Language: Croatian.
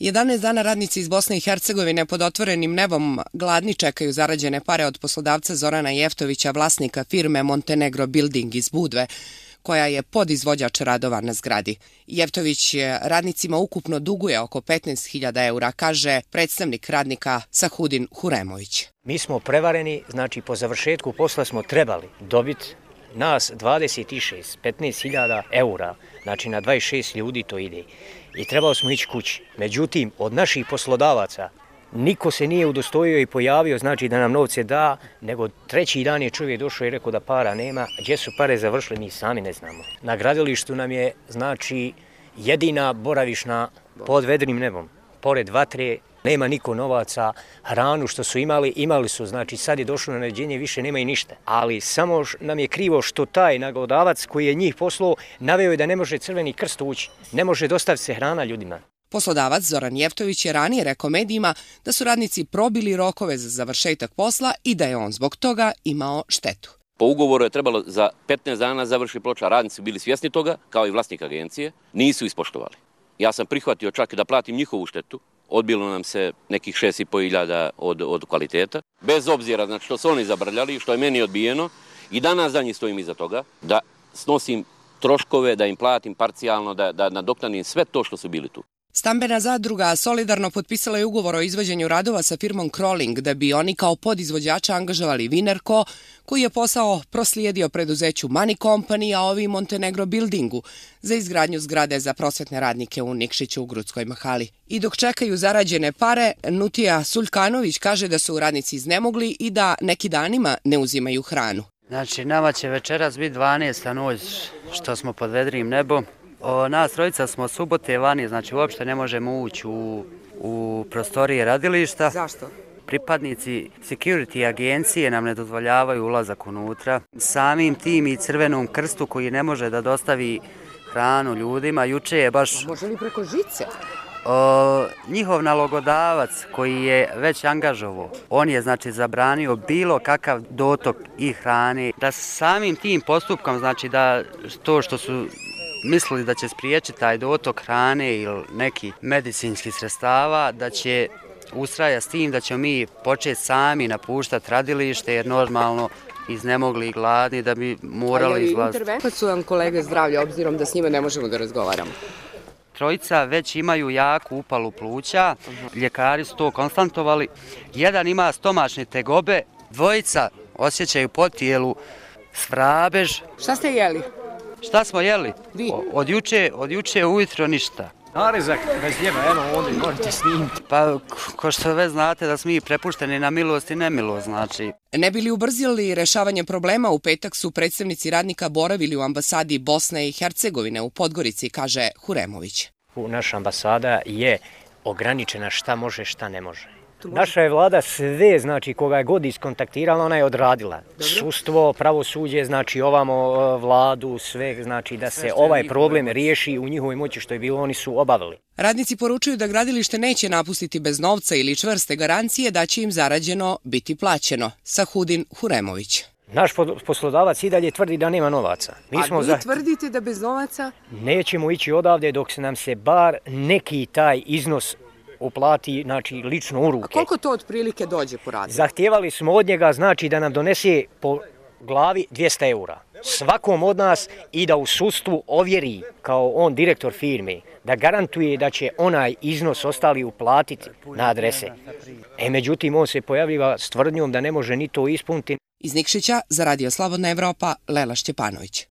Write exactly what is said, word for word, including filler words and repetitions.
jedanaest dana radnici iz Bosne i Hercegovine pod otvorenim nebom gladni čekaju zarađene pare od poslodavca Zorana Jeftovića, vlasnika firme Montenegro Building iz Budve, koja je podizvođač radova na zgradi. Jeftović radnicima ukupno duguje oko petnaest hiljada eura, kaže predstavnik radnika Sahudin Huremović. Mi smo prevareni, znači po završetku posla smo trebali dobiti nas dvadeset šest, petnaest hiljada eura, znači na dvadeset šest ljudi to ide. I trebali smo ići kući. Međutim, od naših poslodavaca niko se nije udostojio i pojavio, znači da nam novce da, nego treći dan je čovjek došao i rekao da para nema. Gdje su pare završile, mi sami ne znamo. Na gradilištu nam je, znači, jedina boravišna pod vedrim nebom. Pored vatre, nema niko novaca, hranu što su imali, imali su, znači sad je došlo na naređenje, više nema i ništa. Ali samo nam je krivo što taj naglavodavac koji je njih poslao, naveo je da ne može Crveni krst ući, ne može dostaviti se hrana ljudima. Poslodavac Zoran Jeftović je ranije rekao medijima da su radnici probili rokove za završetak posla i da je on zbog toga imao štetu. Po ugovoru je trebalo za petnaest dana završiti ploča, radnici bili svjesni toga, kao i vlasnik agencije, nisu ispoštovali. Ja sam prihvatio čak i da platim njihovu štetu, odbilo nam se nekih šest i po hiljada od, od kvaliteta, bez obzira znači, što su oni zabrljali, što je meni odbijeno i danas za njih stojim iza toga, da snosim troškove, da im platim parcijalno, da, da nadoknadim sve to što su bili tu. Stambena zadruga solidarno potpisala je ugovor o izvođenju radova sa firmom Crawling da bi oni kao podizvođača angažovali Vinerko, koji je posao proslijedio preduzeću Money Company, a ovi Montenegro Buildingu za izgradnju zgrade za prosvetne radnike u Nikšiću u Grudskoj mahali. I dok čekaju zarađene pare, Nutija Suljkanović kaže da su radnici iznemogli i da neki danima ne uzimaju hranu. Znači, nama će večeras biti dvanaesta noć što smo pod vedrim nebom. O, nas trojica smo subote vani, znači uopšte ne možemo ući u, u prostorije radilišta. Zašto? Pripadnici security agencije nam ne dozvoljavaju ulazak unutra. Samim tim i Crvenom krstu koji ne može da dostavi hranu ljudima, juče je baš... Može li preko žice? O, njihov nalogodavac koji je već angažovao, on je znači zabranio bilo kakav dotok i hrane. Da samim tim postupkom, znači da to što su mislili da će spriječiti taj dotok hrane ili neki medicinskih sredstava, da će ustrajati s tim da ćemo mi početi sami napuštati radilište jer normalno iznemogli i gladni da bi morali izlaziti. Kad su vam kolege zdravlja, obzirom da s njima ne možemo da razgovaramo? Trojica već imaju jaku upalu pluća, ljekari su to konstatovali. Jedan ima stomačne tegobe, dvojica osjećaju po tijelu svrabež. Šta ste jeli? Šta smo jeli? Vi? Od juče, od juče ujutro ništa. Narezak bez ljeva, evo ovdje možete snimiti. Pa, ko što već znate da smo mi prepušteni na milost i nemilost, znači. Ne bi li ubrzili rešavanje problema, u petak su predstavnici radnika boravili u ambasadi Bosne i Hercegovine u Podgorici, kaže Huremović. Naša ambasada je ograničena šta može, šta ne može. Naša je vlada sve, znači, koga je god iskontaktirala, ona je odradila. Dobro. Sudstvo, pravosuđe, znači ovamo vladu, sve, znači da se ovaj problem riješi u njihovoj moći što je bilo, oni su obavili. Radnici poručuju da gradilište neće napustiti bez novca ili čvrste garancije da će im zarađeno biti plaćeno. Sahudin Huremović. Naš poslodavac i dalje tvrdi da nema novaca. Mi A smo vi za... tvrdite da bez novaca? Nećemo ići odavde dok se nam se bar neki taj iznos uplati, znači, lično u ruke. A koliko to otprilike dođe po radniku? Zahtijevali smo od njega, znači, da nam donese po glavi dvjesto eura. Svakom od nas i da u sudstvu ovjeri, kao on direktor firme, da garantuje da će onaj iznos ostali uplatiti na adrese. E, međutim, on se pojavljiva s tvrdnjom da ne može ni to ispuniti. Iz Nikšića za Radio Slobodna Evropa, Lela Šćepanović.